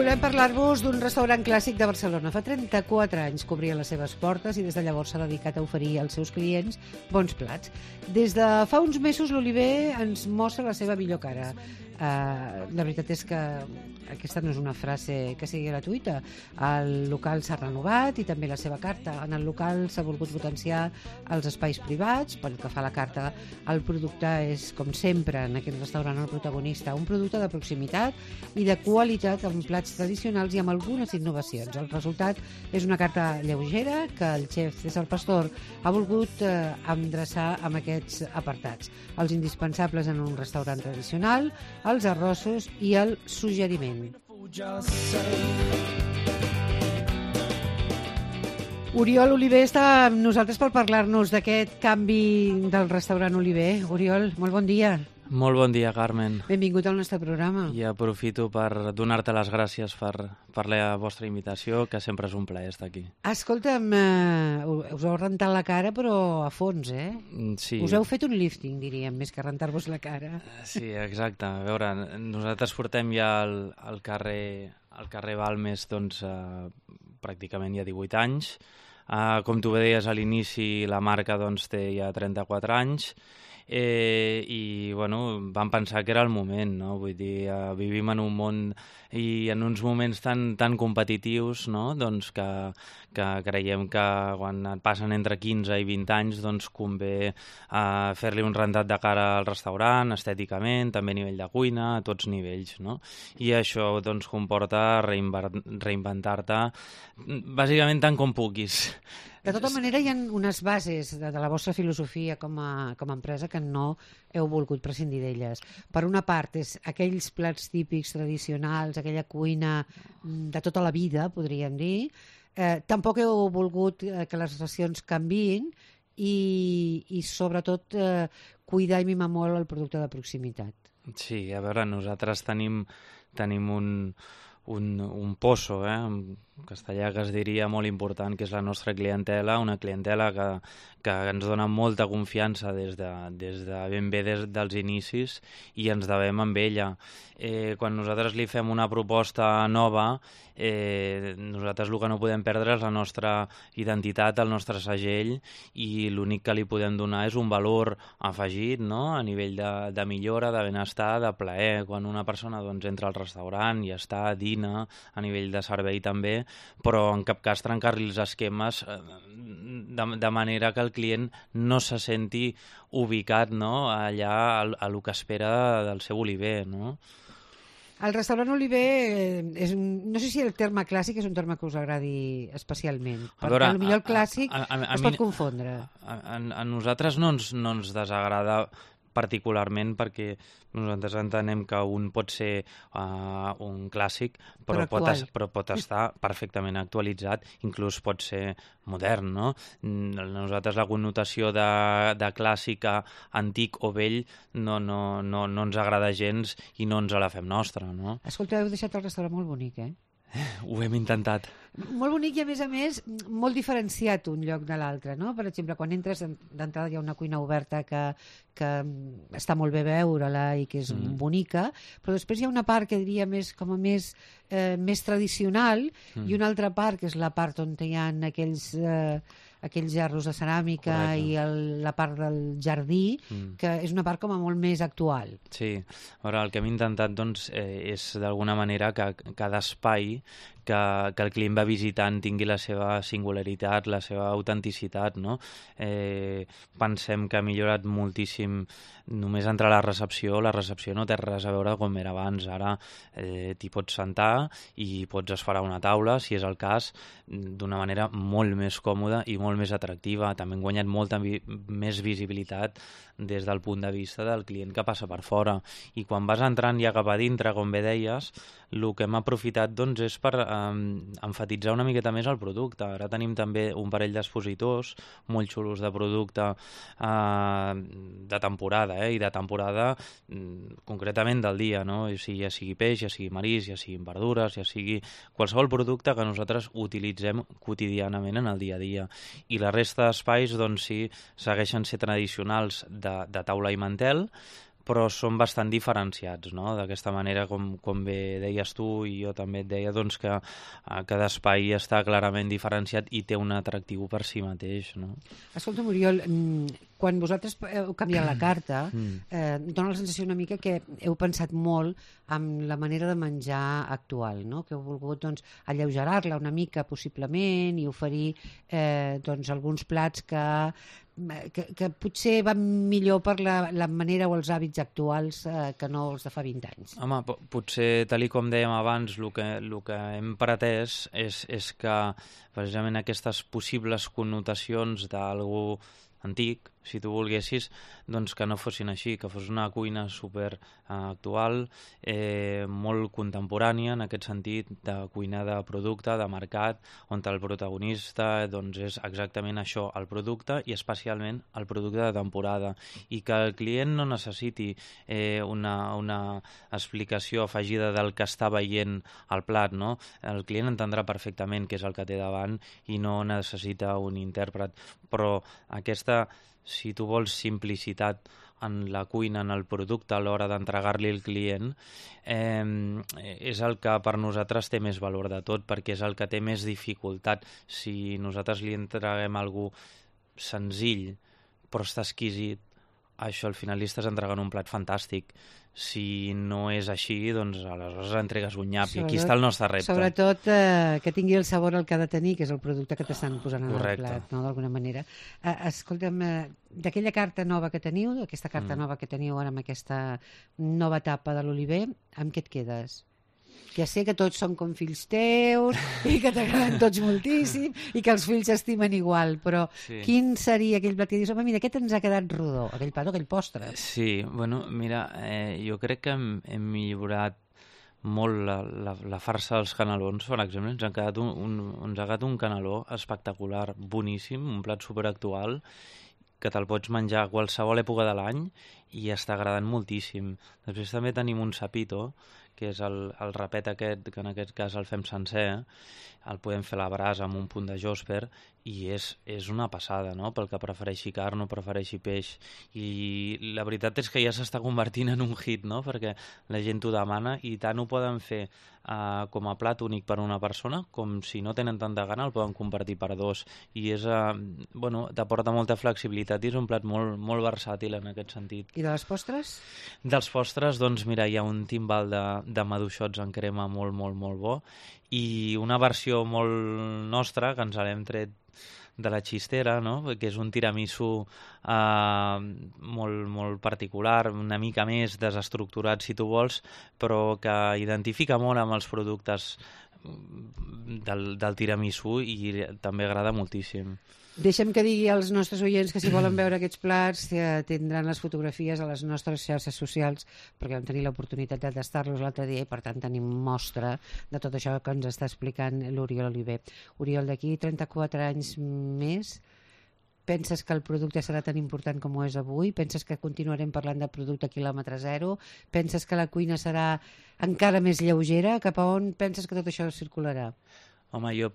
volem parlar-vos d'un restaurant clàssic de Barcelona. Fa 34 anys que obria les seves portes i des de llavors s'ha dedicat a oferir als seus clients bons plats. Des de fa uns mesos l'Oliver ens mostra la seva millor cara. La veritat és que aquesta no és una frase que sigui gratuïta. El local s'ha renovat i també la seva carta. En el local s'ha volgut potenciar els espais privats. Pel que fa a la carta, el producte és, com sempre, en aquest restaurant el protagonista, un producte de proximitat i de qualitat amb plats tradicionals i amb algunes innovacions. El resultat és una carta lleugera que el xef César Pastor ha volgut endreçar amb aquests apartats. Els indispensables en un restaurant tradicional, els arrossos i el suggeriment. Oriol Oliver està amb nosaltres per parlar-nos d'aquest canvi del restaurant Oliver. Oriol, molt bon dia. Molt bon dia, Carmen. Benvingut al nostre programa. I aprofito per donar-te les gràcies per la vostra invitació, que sempre és un plaer estar aquí. Escolta'm, us heu rentat la cara, però a fons, eh? Sí. Us heu fet un lifting, diríem, més que rentar-vos la cara. Sí, exacte. A veure, nosaltres portem ja al carrer Balmes doncs, pràcticament ja 18 anys. Com tu deies a l'inici, la marca doncs, té ja 34 anys. I bueno, vam pensar que era el moment, no? Vull dir, vivim en un món i en uns moments tan competitius, no? Doncs que creiem que quan et passen entre 15 i 20 anys doncs convé fer-li un rentat de cara al restaurant, estèticament, també a nivell de cuina, a tots nivells, no? I això doncs comporta reinventar-te bàsicament tant com puguis. De tota manera, hi ha unes bases de la vostra filosofia com a empresa que no heu volgut prescindir d'elles. Per una part, és aquells plats típics tradicionals, aquella cuina de tota la vida, podríem dir. Tampoc heu volgut que les racions canviïn i sobretot, cuidar i mimar molt el producte de proximitat. Sí, a veure, nosaltres tenim un pozo, en castellà, que es diria molt important, que és la nostra clientela, una clientela que ens dona molta confiança des de ben bé dels inicis i ens devem amb ella. Quan nosaltres li fem una proposta nova, nosaltres el que no podem perdre és la nostra identitat, el nostre segell, i l'únic que li podem donar és un valor afegit, no? A nivell de millora, de benestar, de plaer. Quan una persona doncs, entra al restaurant i està, dina, a nivell de servei també, però en cap cas trencar-li els esquemes de manera que el client no se senti ubicat, no? Allà a lo que espera del seu Oliver, no? El restaurant Oliver, no sé si el terme clàssic és un terme que us agradi especialment, perquè potser el clàssic es pot confondre. A nosaltres no ens desagrada particularment perquè nosaltres entenem que un pot ser un clàssic però pot estar perfectament actualitzat, inclús pot ser modern, no? Nosaltres la connotació de clàssica, antic o vell no ens agrada gens i no ens la fem nostra, no? Escolta, heu deixat el restaurant molt bonic, eh? Ho hem intentat. Molt bonic i, a més, molt diferenciat un lloc de l'altre, no? Per exemple, quan entres, d'entrada hi ha una cuina oberta que està molt bé veure-la i que és bonica, però després hi ha una part que diria més tradicional i una altra part, que és la part on hi ha aquells gerros de ceràmica. Correcte. I la part del jardí, que és una part com a molt més actual. Sí, ara el que hem intentat doncs, és d'alguna manera que cada espai que el client va visitant tingui la seva singularitat, la seva autenticitat, no? Pensem que ha millorat moltíssim només entrar a la recepció no té res a veure com era abans. Ara t'hi pots sentar i pots esferar una taula, si és el cas, d'una manera molt més còmoda i molt més atractiva. També hem guanyat molta més visibilitat des del punt de vista del client que passa per fora. I quan vas entrant ja cap a dintre, com bé deies, el que hem aprofitat doncs, és per emfatitzar una miqueta més el producte. Ara tenim també un parell d'expositors molt xulos de producte de temporada, i de temporada concretament del dia, no? Ja sigui peix, ja sigui marís, ja sigui verdures, ja sigui qualsevol producte que nosaltres utilitzem quotidianament en el dia a dia. I la resta d'espais, doncs sí, segueixen ser tradicionals de taula i mantel, però són bastant diferenciats, no? D'aquesta manera, com bé deies tu i jo també et deia, doncs que cada espai està clarament diferenciat i té un atractiu per si mateix, no? Escolta, Oriol, quan vosaltres heu canviat la carta, dona la sensació una mica que heu pensat molt en la manera de menjar actual, no? Que heu volgut doncs, alleugerar-la una mica, possiblement, i oferir doncs, alguns plats que potser van millor per la manera o els hàbits actuals que no els de fa 20 anys. Home, potser, tal com dèiem abans, el que hem pretès és que precisament aquestes possibles connotacions d'algú antic, si tu volguessis, doncs que no fossin així, que fos una cuina super actual, molt contemporània en aquest sentit, de cuina de producte, de mercat, on el protagonista doncs, és exactament això, el producte i especialment el producte de temporada, i que el client no necessiti una explicació afegida del que està veient al plat, no? El client entendrà perfectament què és el que té davant i no necessita un intèrpret, però aquesta, si tu vols, simplicitat en la cuina, en el producte a l'hora d'entregar-li al client, és el que per nosaltres té més valor de tot, perquè és el que té més dificultat. Si nosaltres li entreguem algú senzill però està exquisit, això al final li estàs entregant un plat fantàstic. Si no és així, doncs aleshores entregues un nyap, i aquí està el nostre repte. Sobretot que tingui el sabor el que ha de tenir, que és el producte que t'estan posant en el plat, no? D'alguna manera. Escolta'm, d'aquella carta nova que teniu, aquesta carta nova que teniu ara amb aquesta nova etapa de l'Oliver, amb què et quedes? Ja sé que tots són com fills teus i que t'agraden tots moltíssim i que els fills s'estimen igual, però quin seria aquell plat que dius, home, mira, aquest ens ha quedat rodó, aquell plat o aquell postre? Sí, bueno, mira, jo crec que hem millorat molt la farsa dels canelons, per exemple. Ens ha quedat un caneló espectacular, boníssim, un plat superactual, que te'l pots menjar a qualsevol època de l'any i està agradant moltíssim. Després també tenim un sapito, que és el rapet aquest, que en aquest cas el fem sencer, el podem fer a la brasa amb un punt de josper, i és una passada, no?, pel que prefereixi carn o prefereixi peix. I la veritat és que ja s'està convertint en un hit, no?, perquè la gent ho demana, i tant ho poden fer com a plat únic per una persona, com si no tenen tanta gana el poden compartir per dos, i és, bueno, t'aporta molta flexibilitat i és un plat molt, molt versàtil en aquest sentit. I de les postres? Dels postres, doncs mira, hi ha un timbal de maduixots en crema molt, molt, molt bo, i una versió molt nostra que ens l'hem tret de la xistera, no?, que és un tiramisú molt, molt particular, una mica més desestructurat si tu vols, però que identifica molt amb els productes del tiramisú i també agrada moltíssim. Deixem que digui als nostres oients que si volen veure aquests plats tindran les fotografies a les nostres xarxes socials, perquè vam tenir l'oportunitat de tastar-los l'altre dia i per tant tenim mostra de tot això que ens està explicant l'Oriol Oliver. Oriol, d'aquí 34 anys més, penses que el producte serà tan important com ho és avui? Penses que continuarem parlant de producte quilòmetre zero? Penses que la cuina serà encara més lleugera? Cap a on penses que tot això circularà? Home, jo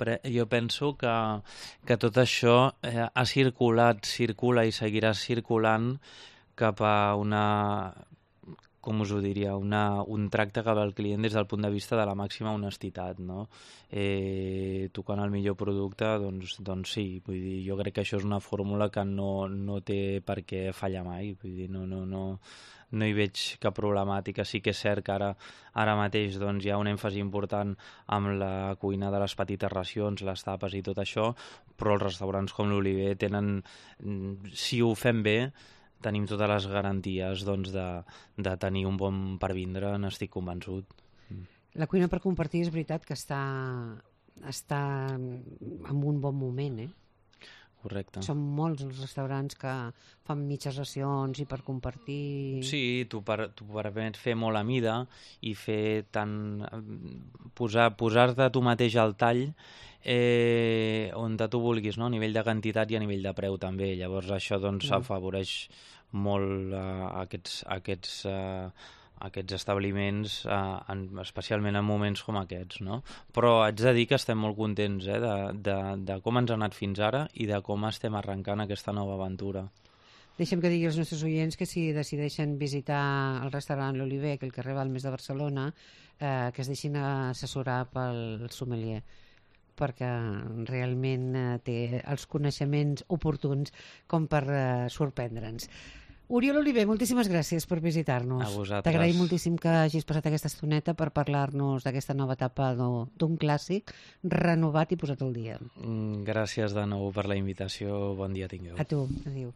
penso que tot això ha circulat, circula i seguirà circulant cap a com us ho diria, un tracte cap al client des del punt de vista de la màxima honestitat, no? Tocant el millor producte, doncs sí, vull dir, jo crec que això és una fórmula que no té per què fallar mai, vull dir, no hi veig cap problemàtica. Sí que és cert que ara mateix doncs, hi ha un èmfasi important amb la cuina de les petites racions, les tapes i tot això, però els restaurants com l'Oliver tenen, si ho fem bé, tenim totes les garanties doncs, de tenir un bon per vindre, n'estic convençut. La cuina per compartir és veritat que està en un bon moment, Correcte. Són molts els restaurants que fan mitges racions i per compartir... Sí, tu permet fer molt a mida i fer posar-te tu mateix al tall on tu vulguis, no? A nivell de quantitat i a nivell de preu també. Llavors això doncs afavoreix molt aquests establiments, especialment en moments com aquests, no? Però haig de dir que estem molt contents de com ens ha anat fins ara i de com estem arrencant aquesta nova aventura. Deixem que digui als nostres oients que si decideixen visitar el restaurant L'Oliver, que el carrer Balmes de Barcelona, que es deixin assessorar pel sommelier, perquè realment té els coneixements oportuns com per sorprendre'ns. Oriol Oliver, moltíssimes gràcies per visitar-nos. A vosaltres. T'agraïm moltíssim que hagis passat aquesta estoneta per parlar-nos d'aquesta nova etapa d'un clàssic renovat i posat al dia. Gràcies de nou per la invitació. Bon dia tingueu. A tu. Adéu.